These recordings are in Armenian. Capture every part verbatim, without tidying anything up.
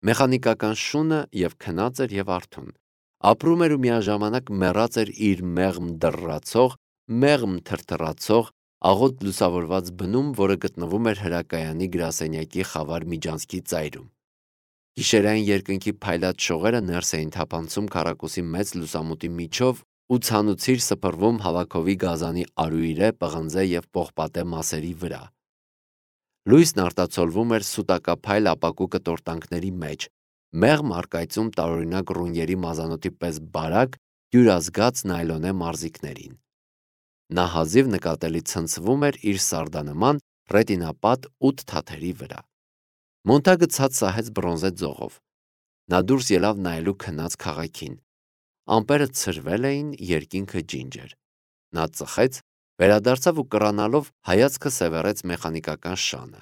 Մեխանիկական շունը և քնած էր և արթուն, ապրում էր ու միաժամանակ մեռած էր իր մեղմ դռռացող, մեղմ թրթռացող, աղոտ լուսավորված բնում, որը գտնվում էր հրակայանի գրասենյակի խավար միջանցքի ծայրում։ Գիշերային երկնքի փայլած շողերը ներս էին թափանցում քառակուսի մեծ լուսամուտի միջով ու ցանուցիր սփռվում հավաքովի գազանի արուիրե, պղնձե և պողպատե մասերի վրա։ Լույսն արտացոլվում էր սուտակափայլ ապակու կտորտանքների մեջ, մեղմ առկայծում տարօրինակ ռունյերի մազանոթի պես բարակ, դյուրազգաց նայլոնե մարզիկներին։ Նա հազիվ նկատելի ցնցվում էր իր սարդանման ռետինապատ ութ թաթերի վրա։ Մոնթագը ցած սահեց բրոնզե ձողով։ Նա դուրս ելավ նայելու քնած քաղաքին։ Ամպերը ցրվել էին, երկինքը ջինջ էր։ Նա ծխեց, վերադարձավ ու կռանալով հայացքը սևեռեց մեխանիկական շանը։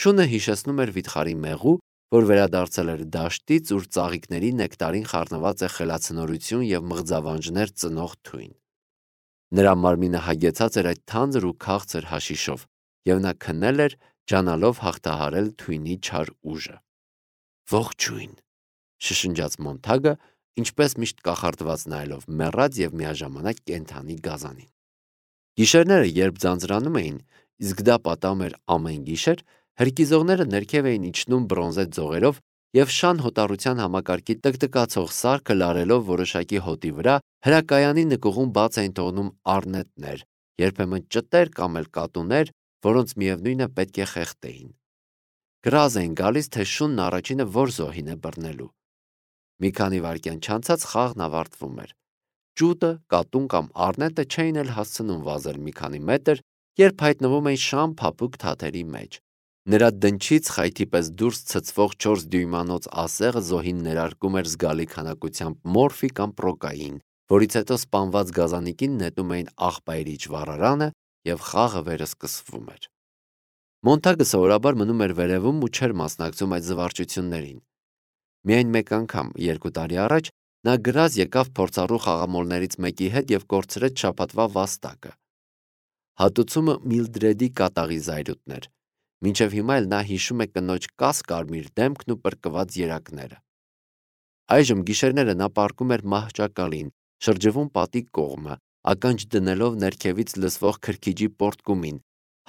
Շունը հիշեցնում էր վիթխարի մեղու, որ վերադարձել էր դաշտից, ուր ծաղիկների նեկտարին խառնված է խելացնորություն և մղձավանջներ ծնող թույն։ Նրա մարմինը հագեցած էր այդ թանձր ու քաղցր հաշիշով, և նա քնել էր, ջանալով հաղթահարել թույնի չար ուժը։ Ողջույն, շշնջաց Մոնթագը, ինչպես միշտ կախարդված նայելով մեռած և միաժամանակ կենդանի գազանին։ Գիշերները, երբ ձանձրանում էին, իսկ դա պատահում էր ամեն գիշեր, հրկիզողները ներքև էին իջնում բրոնզե ձողերով և շան հոտառության համակարգի տկտկացող սարքը լարելով որոշակի հոտի վրա, հրակայանի նկուղում բաց էին թողնում առնետներ, երբեմն ճտեր կամ էլ կատուներ, որոնց միևնույն է պետք է խեղդեին։ Գրազ էին գալիս, թե շունն առաջինը որ զոհին է բռնելու։ Մի քանի վայրկյան չանցած խաղն ավարտվում էր։ Ճուտը, կատուն կամ առնետը չէին էլ հասցնում վազել մի քանի մետր, երբ հայտնվում էին շան փափուկ թաթերի մեջ։ Նրա դնչից խայթի պես դուրս ցցվող չորս դյույմանոց ասեղը զոհին ներարկում էր զգալի քանակությամբ մորֆի կամ պրոկաին, որից հետո սպանված գազանիկին նետում էին աղբայրիչ վառարանը և խաղը վերսկսվում էր։ Մոնթագը սովորաբար մնում էր վերևում ու չէր մասնակցում այդ զվարճություններին։ Միայն մեկ անգամ, երկու տարի առաջ, նա գրազ եկավ փորձառու խաղամոլներից մեկի հետ և կորցրեց շաբաթվա վաստակը։ Հատուցումը Միլդրեդի կատաղի զայրույթն էր։ Մինչև հիմա էլ նա հիշում է կնոջ կաս-կարմիր դեմքն ու պրկված երակները։ Այժմ գիշերները նա պառկում էր մահճակալին, շրջվում պատի կողմը, ականջ դնելով ներքևից լսվող քրքիջի պոռթկումին,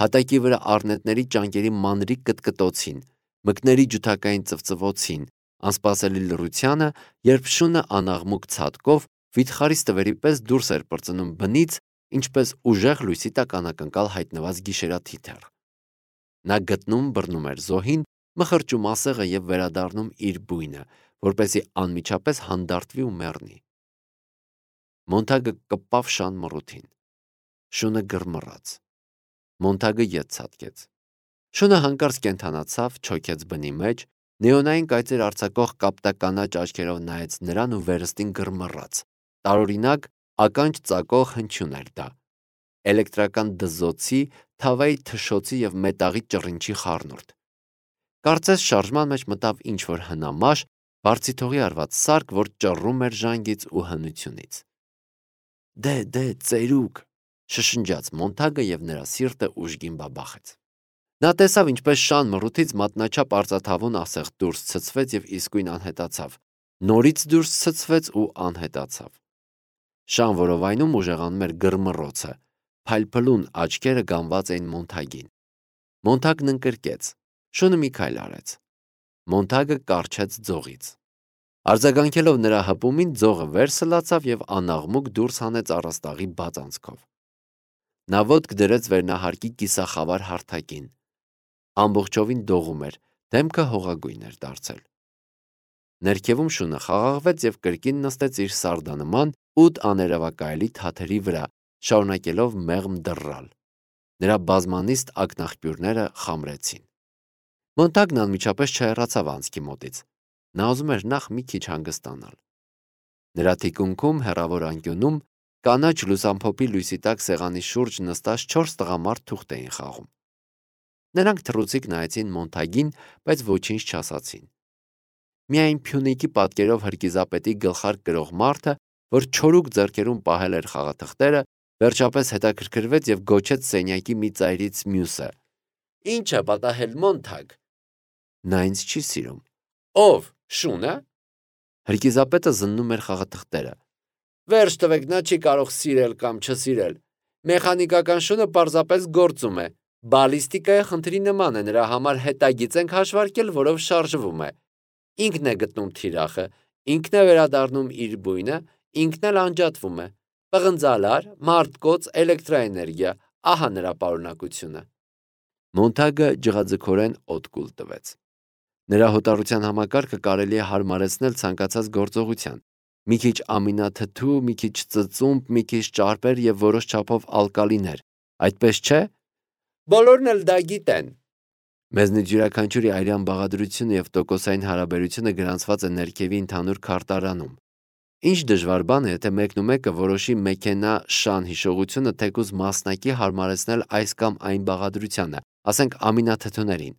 հատակի վրա առնետների ճանկերի մանրիկ կտկտոցին, մկների ջութակային ծվծվոցին, անսպասելի լռությանը, երբ շունը անաղմուկ ցատկով վիթխարի ստվերի պես դուրս էր պրծնում բնից, ինչպես ուժեղ լույսի տակ անակնկալ հայտնված գիշերաթիթեռ։ Նա գտնում, բռնում էր զոհին, մխրճում ասեղը և վերադառնում իր բույնը, որպեսզի անմիջապես հանդարտվի ու մեռնի։ Մոնթագը կպավ շան մռութին։ Շունը գրմռաց։ Մոնթագը ետ ցատկեց։ Շունը հանկարծ կենդանացավ, չոքեց բնի մեջ, նեոնային կայծեր արձակող կապտականաչ աչքերով նայեց նրան ու վերստին գրմռաց։ Տարօրինակ, ականջ ծակող հնչյուն էր դա։ Էլեկտրական դզոցի, թավայի թշոցի և մետաղի ճռինչի խառնուրդ։ Կարծես շարժման մեջ մտավ ինչ-որ հնամաշ, բարձիթողի արված սարք, որ ճռռում էր ժանգից ու հնությունից։ Դե, դե, ծերուկ, շշնջաց Մոնթագը և նրա սիրտը ուժգին բաբախեց։ Նա տեսավ, ինչպես շան մռութից մատնաչափ արծաթավուն ասեղ դուրս ցցվեց և իսկույն անհետացավ, նորից դուրս ցցվեց ու անհետացավ։ Շան որովայնում ուժեղանում էր գրմռոցը, փայլփլուն աչքերը գանված էին Մոնթագին։ Մոնթագն ընկրկեց։ Շունը մի քայլ արեց։ Մոնթագը կառչեց ձողից։ Արձագանքելով նրա հպումին, ձողը վեր սլացավ և անաղմուկ դուրս հանեց առաստաղի բաց անցքով։ Նա ոտք դրեց վերնահարկի կիսախավար հարթակին։ Ամբողջովին դողում էր, դեմքը հողագույն էր դարձել։ Ներքևում շունը խաղաղվեց և կրկին նստեց իր սարդանման ութ աներևակայելի թաթերի վրա, շարունակելով մեղմ դռռալ։ Նրա բազմանիստ ակնաղբյուրները խամրեցին։ Մոնթագն անմիջապես չհեռացավ անցքի մոտից։ Նա ուզում էր նախ մի քիչ հանգստանալ։ Նրա թիկունքում, հեռավոր անկյունում, կանաչ լուսամփոփի լույսի տակ սեղանի շուրջ նստած չորս տղամարդ թուղթ էին խաղում։ Նրանք թռուցիկ նայեցին Մոնթագին, բայց ոչինչ չասացին։ Միայն Փյունիկի պատկերով հրկիզապետի գլխարկ կրող մարդը, որ չորուկ ձեռքերում պահել էր խաղաթղթերը, վերջապես հետաքրքրվեց և գոչեց սենյակի մի ծայրից մյուսը. Ի՞նչ է պատահել, Մոնթագ։ Նա ինձ չի սիրում։ Ով, Շունը։ Հրկիզապետը զննում էր խաղաթղթերը։ Վերջ տվեք, նա չի կարող սիրել կամ չսիրել։ Մեխանիկական շունը պարզապես գործում է։ Բալիստիկայի խնդրի նման է, նրա համար հետագիծ ենք հաշվարկել, որով շարժվում է։ Ինքն է գտնում թիրախը, ինքն է վերադառնում իր բույնը, ինքն էլ անջատվում է։ Պղնձալար, մարդկոց, էլեկտրաէներգիա, ահա նրա պարունակությունը։ Մոնթագը ջղաձգորեն օդկուլ տվեց։ Նրա հոտառության համակարգը կարելի է հարմարեցնել ցանկացած գործողության։ Մի քիչ ամինաթթու, մի քիչ ծծումբ, մի քիչ ճարպեր եւ որոշ չափով ալկալիներ։ Այդպես չէ։ Բոլորն էլ դա գիտեն։ Մեզնից յուրաքանչյուրի այրան բաղադրությունը եւ տոկոսային հարաբերությունը գրանցված է ներքևի ընդհանուր քարտարանում։ Ինչ դժվար բան է, եթե մեկնումեկը որոշի մեքենա շան հիշողությունը թեկուզ մասնակի հարմարեցնել այս կամ այն բաղադրությանը, ասենք ամինաթթուներին։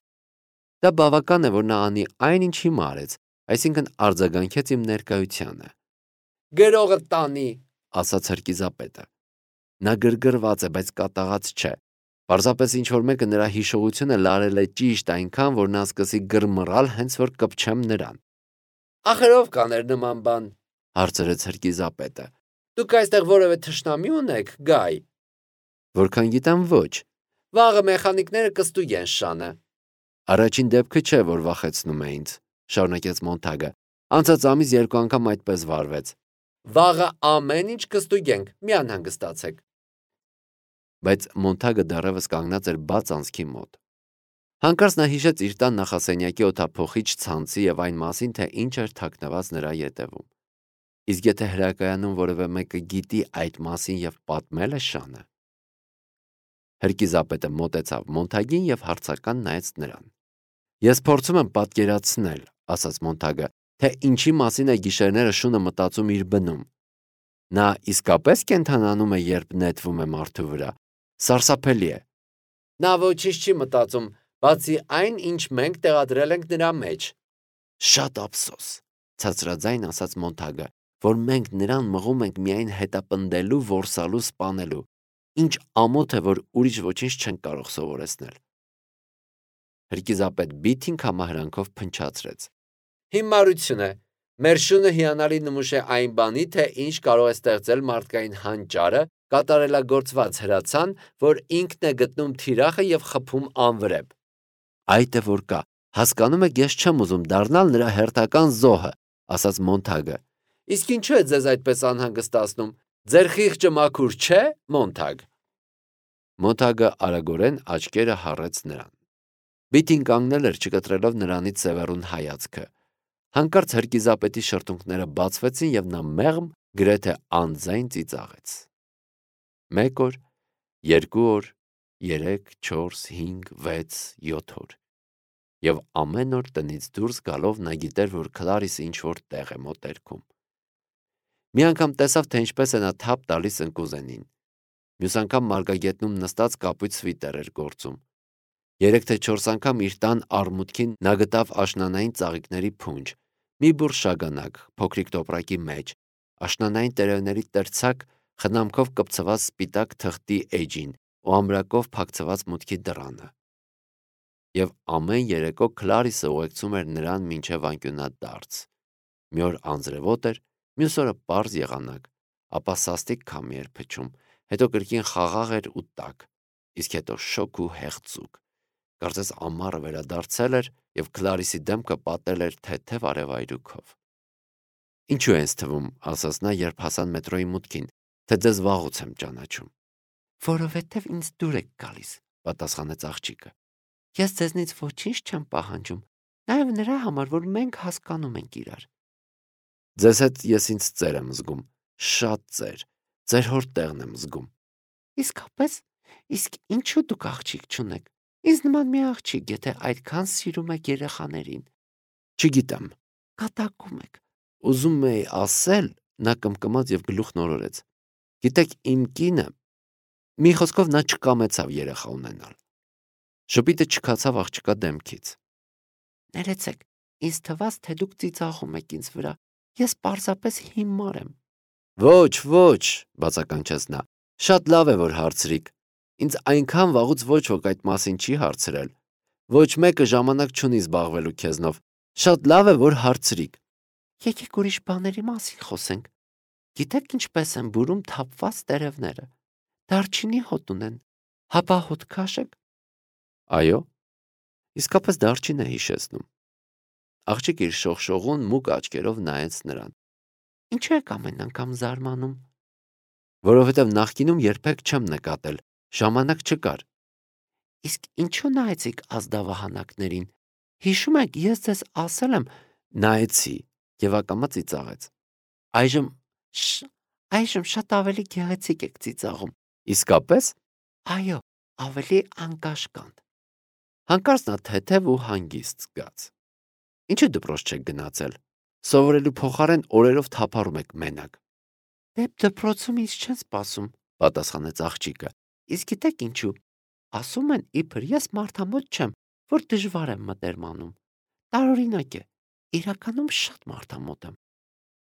Դա բավական է, որ նա անի այն, ինչ հիմա արեց, այսինքն արձագանքեց իմ ներկայությանը։ Գրողը տանի, ասաց հրկիզապետը։ Նա գրգռված է, բայց կատաղած չէ։ Պարզապես ինչ-որ մեկը նրա հիշողությունը լարել է ճիշտ այնքան, որ նա սկսի գրմռալ, հենց որ կպչեմ նրան։ Ախր ով կաներ նման բան, հարցրեց հրկիզապետը։ Դուք այստեղ որևէ թշնամի ունեք, Գայ։ Որքան գիտեմ, ոչ։ Վաղը մեխանիկները կստուգեն շանը։ Առաջին դեպքը չէ, որ վախեցնում է ինձ, շարունակեց Մոնթագը։ Անցած ամիս երկու անգամ այդպես վարվեց։ Վաղը ամեն ինչ կստուգենք, մի անհանգստացեք։ Բայց Մոնթագը դեռևս կանգնած էր բաց անցքի մոտ։ Հանկարծ նա հիշեց իր տան նախասենյակի օդափոխիչ ցանցի եւ այն մասին, թե ինչ էր թաքնված նրա ետևում։ Իսկ եթե հրակայանում որևէ մեկը գիտի այդ մասին եւ պատմել է շանը։ Հրկիզապետը մոտեցավ Մոնթագին եւ հարցական նայեց նրան։ Ես փորձում եմ պատկերացնել, ասաց Մոնթագը, թե ինչի մասին է գիշերները շունը մտածում իր բնում։ Նա իսկապես կենթանանում է, երբ նետվում է մարդու վրա։ Սարսափելի է։ Նա ոչինչ չի մտածում, բացի այն, ինչ մենք տեղադրել ենք նրա մեջ։ Շատ ափսոս, ցածրաձայն ասաց Մոնթագը, որ մենք նրան մղում ենք միայն հետապնդելու, որսալու, սպանելու։ Ինչ ամոթ է, որ ուրիշ ոչինչ չենք կարող սովորեցնել։ Հրկիզապետ Բիթին համահրանքով փնչացրեց։ Հիմարություն է։ Մեր շունը հիանալի նմուշ է այն բանի, թե ինչ կարող է ստեղծել մարդկային հանճարը, կատարելագործված հրացան, որ ինքն է գտնում թիրախը եւ խփում անվրեպ։ Այդ է որ կա, հասկանում եք, ես չեմ ուզում դառնալ նրա հերթական զոհը, ասաց Մոնթագը։ Իսկ ինչու է ձեզ այդպես անհանգստացնում։ Ձեր խիղճը մաքուր չէ, Մոնթագ։ Մոնթագը արագորեն աչքերը հառեց նրան։ Բիթին կանգնել էր, չկտրելով նրանից սևեռուն հայացքը։ Հանկարծ հրկիզապետի շրթունքները բացվեցին եւ նա մեղմ գրեթե անձայն ծիծաղեց։ Մեկ օր, երկու օր, երեք, չորս, հինգ, վեց, յոթ օր։ Եվ ամեն օր տնից դուրս գալով նա գիտեր, որ Քլարիսը ինչ-որ տեղ է մոտերքում։ Մի անգամ տեսավ, թե ինչպես է նա թափ տալիս ընկուզենին։ Մյուս անգամ մարգագետնում նստած կապույտ սվիտեր էր գործում։ Երեք թե չորս անգամ իր տան արմուտքին նա գտավ աշնանային ծաղիկների փունջ, մի բուռ շագանակ, փոքրիկ տոպրակի մեջ, աշնանային տերևների terցակ, խնամքով կպցված սպիտակ թղթի էջին ու ամրակով փակցված մուտքի դռանը։ Եվ ամեն երեկո Քլարիսը ուղեկցում էր նրան մինչև անկյունադարձ։ Մի օր անձրևոտ էր, մյուս օրը պարզ եղանակ, ապա սաստիկ քամի էր փչում, հետո կրկին խաղաղ էր ու տաք, իսկ հետո շոգ ու հեղձուկ։ Կարծես ամառը վերադարձել էր եւ Քլարիսի դեմքը պատել էր թեթև արևայրուքով։ Ինչու ես թվում, ասաց նա, երբ հասան մետրոյի մուտքին, թե ձեզ վաղուց եմ ճանաչում։ Որովհետև ինձ դուր եք գալիս, պատասխանեց աղջիկը։ Ես ձեզնից ոչինչ չեմ պահանջում, նաեւ նրա համար, որ մենք հասկանում ենք իրար։ Ձեզ հետ ես ինձ ծեր եմ զգում, շատ ծեր, ձեր հոր տեղն եմ զգում։ Իսկապես, իսկ ինչու դուք աղջիկ չունեք։ Ինձ նման մի աղջիկ, եթե այդքան սիրում եք երեխաներին։ Չգիտեմ, կատակում եք։ Ուզում էի ասել, նա կմկմաց եւ գլուխն օրորեց։ Գիտեք, իմ կինը, մի խոսքով նա չկամեցավ երեխա ունենալ։ Շփիտը չքացավ աղջկա դեմքից։ Ներեցեք, ինձ թվաց, թե դուք ծիծաղում եք ինձ վրա։ Ես պարզապես հիմար եմ։ Ոչ, ոչ, բացականչեց նա։ Շատ լավ է, որ հարցրիք։ Ինձ այնքան վաղուց ոչ ոք այդ մասին չի հարցրել։ Ոչ մեկը ժամանակ չունի զբաղվելու քեզնով։ Շատ լավ է, որ հարցրիք։ Եկեք ուրիշ բաների մասին խոսենք։ Գիտեք ինչպես են բուրում թափված տերևները։ Դարչինի հոտ ունեն։ Հապա հոտ քաշեք։ Այո, իսկապես դարչին է հիշեցնում։ Աղջիկ իր շողշողուն մուգ աչքերով նայեց նրան։ Ինչու եք ամեն անգամ զարմանում։ Որովհետև նախկինում երբեք չեմ նկատել, ժամանակ չկար։ Իսկ ինչու նայեցիք ազդավահանակներին։ Հիշում եք, ես ձեզ ասել եմ, նայեցի եւ ակամա ծիծաղեց։ Այժմ շ, այժմ շատ ավելի գեղեցիկ եք ծիծաղում։ Իսկապես։ Այո, ավելի անկաշկանդ։ Հանկարծ նա թեթև ու հանգիստ զգաց։ Ինչու դպրոց չեք գնացել։ Սովորելու փոխարեն օրերով թափառում եք մենակ։ Դե դպրոցում ինձ չեն սպասում, պատասխանեց աղջիկը։ Իսկ գիտեք ինչու։ Ասում են, իբր ես մարդամոտ չեմ, որ դժվար եմ մտերմանում։ Տարօրինակ է, իրականում շատ մարդամոտ եմ։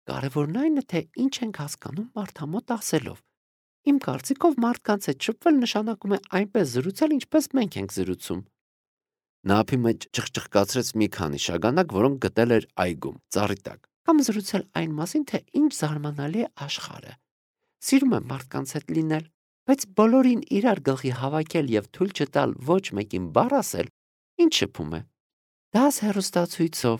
Կարևորն այն է, թե ինչ ենք հասկանում մարդամոտ ասելով։ Իմ կարծիքով մարդկանց հետ շփվել նշանակում է այնպես զրուցել, ինչպես մենք ենք զրուցում։ Նա ափի մեջ ճղճղկացրեց մի քանի շագանակ, որոնք գտել էր այգում, ծառի տակ, կամ զրուցել այն մասին, թե ինչ զարմանալի է աշխարհը։ Սիրում եմ մարդկանց հետ լինել, բայց բոլորին իրար գլխի հավաքել եւ թույլ չտալ ոչ մեկին բառ ասել, ինչ շփում է։ Դաս հեռուստացույցով,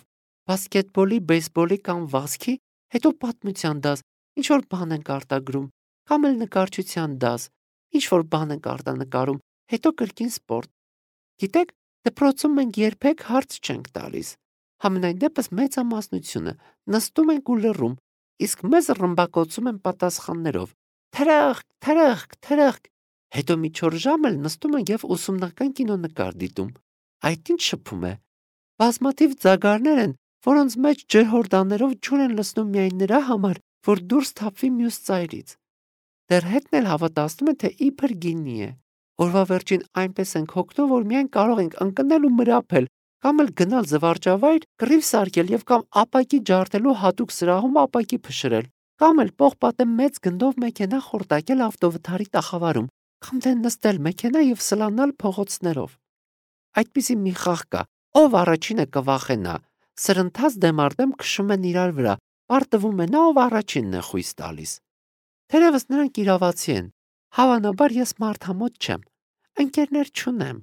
բասկետբոլի, բեյսբոլի կամ վազքի, հետո պատմության դաս, ինչ որ բան ենք արտագրում, կամ էլ նկարչության դաս, ինչ որ բան ենք արտանկարում, հետո կրկին սպորտ։ Գիտեք, դպրոցում մենք երբեք հարց չենք տալիս։ Համենայն դեպս մեծամասնությունը նստում ենք ու լռում, իսկ մեզ ռմբակոծում են պատասխաններով. Թրախկ, թրախկ, թրախկ։ Հետո մի չորս ժամ էլ նստում ենք եւ ուսումնական կինոնկար դիտում։ Այդ ինչ շփում է։ Բազմաթիվ ձագարներ են, որոնց մեջ ջրհորդաններով ջուր են լցնում միայն նրա համար, որ դուրս թափվի մյուս ծայրից։ Դեռ հետն էլ հավատացնում են, թե իբր գինի է։ Օրվա վերջին այնպես ենք հոգնում, որ միայն կարող ենք ընկնել ու մրափել, կամ էլ գնալ զվարճավայր, կռիվ սարքել եւ կամ ապակի ջարդելու հատուկ սրահում ապակի փշրել, կամ էլ պողպատե մեծ գնդով մեքենա խորտակել ավտովթարի տախավարում, կամ դե նստել մեքենա եւ սլանալ փողոցներով։ Այդպիսի մի խաղ կա, ով առաջինը կվախենա, սրընթաց դեմարդեմ քշում են իրար վրա, պարտվում է նա, ով առաջինն է խույս տալիս։ Թերևս նրանք իրավացի են։ Հավանաբար ես մարդամոտ չեմ, ընկերներ չունեմ։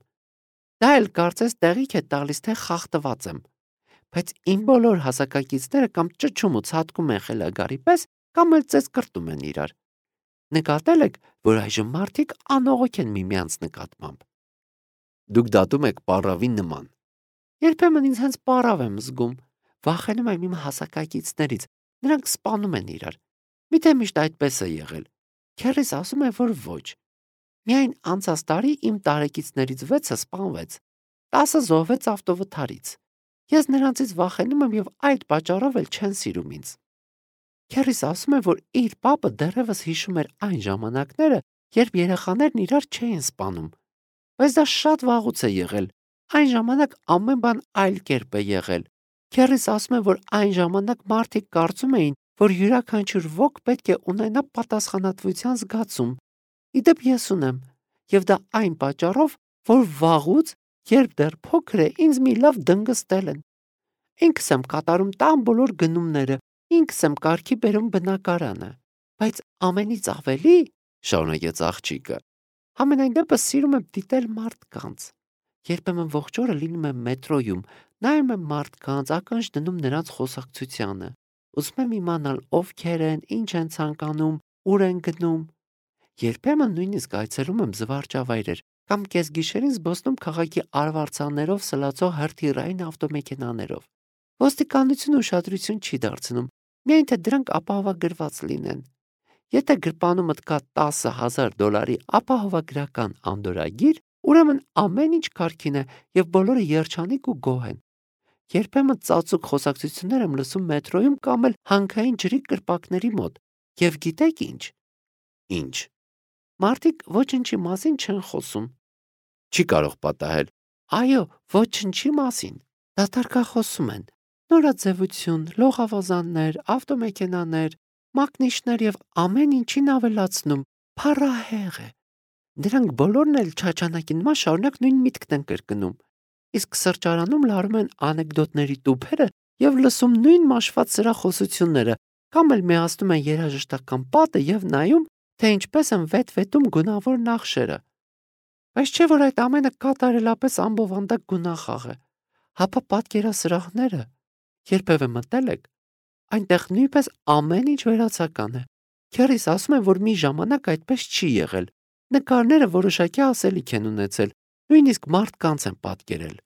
Դա էլ կարծես տեղիք է տալիս, թե խախտված եմ։ Բայց իմ բոլոր հասակակիցները կամ ճչում ու ցատկում են խելագարի պես, կամ էլ ծեծ կրտում են իրար։ Նկատել եք, որ այժմ մարդիկ անողոք են միմյանց նկատմամբ։ Դուք դատում եք պառավի նման։ Երբեմն ինձ հենց պառավ եմ զգում, վախենում եմ իմ հասակակիցներից, նրանք սպանում են իրար։ Միթե միշտ այդպես է եղել։ Քեռիս ասում է, որ ոչ։ Միայն անցած տարի իմ տարեկիցներից վեցը սպանվեց, տասը զոհվեց ավտովթարից։ Ես նրանցից վախենում եմ եւ այդ պատճառով էլ չեն սիրում ինձ։ Քեռիս ասում է, որ իր պապը դեռևս հիշում էր այն ժամանակները, երբ երեխաներն իրար չէին սպանում։ Բայց դա շատ վաղուց է եղել։ Այն ժամանակ ամեն բան այլ կերպ է եղել։ Քեռիս ասում է, որ այն ժամանակ մարդիկ կարծում էին, որ յուրաքանչյուր ոք պետք է ունենա պատասխանատվության զգացում։ Իդեպ ես ունեմ, եւ դա այն պատճառով, որ վաղուց, երբ դեռ փոքր է, ինձ մի լավ դնգստել են։ Ինքս եմ կատարում տան բոլոր գնումները, ինքս եմ կարգի բերում բնակարանը։ Բայց ամենից ավելի, շարունակեց աղջիկը, համենայն դեպս սիրում եմ դիտել մարդկանց։ Երբեմն ողջ օրը լինում եմ մետրոյում, նայում եմ մարդկանց, ականջ դնում նրանց խոսակցությանը։ Ուզում եմ իմանալ ովքեր են, ինչ են ցանկանում, ուր են գնում։ Երբեմն նույնիսկ այցելում եմ զվարճավայրեր կամ կեսգիշերին զբոսնում քաղաքի արվարձաններով սլացող հրթիռային ավտոմեքենաներով։ Ոստիկանությունը ուշադրություն չի դարձնում, միայն թե դրանք ապահովագրված լինեն։ Եթե գրպանումդ կա տասը հազար դոլարի ապահովագրական անդորրագիր, ուրեմն ամեն ինչ կարգին է եւ բոլորը երջանիկ ու գոհ են։ Երբեմն ծածուկ խոսակցություններ եմ լսում մետրոյում կամ էլ հանքային ջրի կրպակների մոտ։ Եվ գիտեք ինչ։ Ինչ։ Մարդիկ ոչնչի մասին չեն խոսում։ Չի կարող պատահել։ Այո, ոչնչի մասին։ Դատարկախոսում են։ Նորաձևություն, լողավազաններ, ավտոմեքենաներ, մակնիշներ եւ ամեն ինչին ավելացնում։ Փառահեղ է։ Դրանք բոլորն էլ չաչանակի նման շարունակ նույն միտքն են կրկնում։ Իսկ սրճարանում լարում են անեկդոտների տուփերը և լսում նույն մաշված սրախոսությունները, կամ էլ միացնում են երաժշտական պատը և նայում, թե ինչպես են վետ-վետում գունավոր նախշերը։ Բայց չէ՞ որ այդ ամենը կատարելապես ամբովանդակ գունախաղ է։ Հապա պատկերասրահները, երբևէ մտել եք, այնտեղ նույնպես ամեն ինչ վերացական է։ Քեռիս ասում են, որ մի ժամանակ այդպես չի եղել։ Նկարները որոշակի ասելիք են ունեցել, նույնիսկ մարդկանց են պատկերել։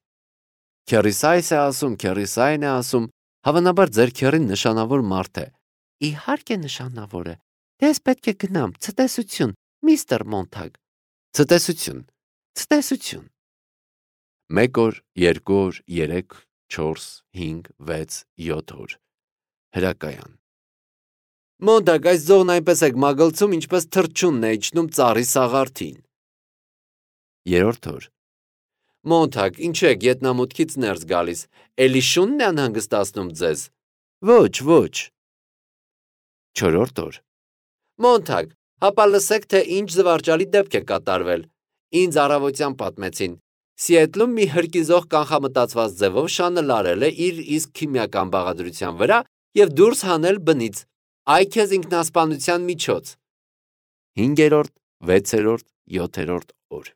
Քեռիս այս է ասում, քեռիս այն է ասում, հավանաբար ձեր քեռին նշանավոր մարդ է։ Իհարկե նշանավոր է։ Դե ես պետք է գնամ, ցտեսություն, միստր Մոնթագ։ Ցտեսություն, ցտեսություն։ Մեկ օր, երկու օր, երեք, չորս, հինգ, վեց, յոթ օր։ Հրակայան։ Մոնթագ, այս ձողն այնպես եք մագլցում, ինչպես թռչունն է իջնում ծառի սաղարթին։ Երրորդ օր։ Մոնթագ, ինչու եք ետնամուտքից ներս գալիս, էլի շունն է անհանգստացնում ձեզ։ Ոչ, ոչ։ Չորրորդ օր։ Մոնթագ, հապա լսեք, թե ինչ զվարճալի դեպք է կատարվել։ Ինձ առավոտյան պատմեցին։ Սիեթլում մի հրկիզող կանխամտածված ձևով շանը լարել է իր իսկ քիմիական բաղադրության վրա և դուրս հանել բնից։ Այ քեզ ինքնասպանության միջոց։ Հինգերորդ, վեցերորդ, յոթերորդ օր։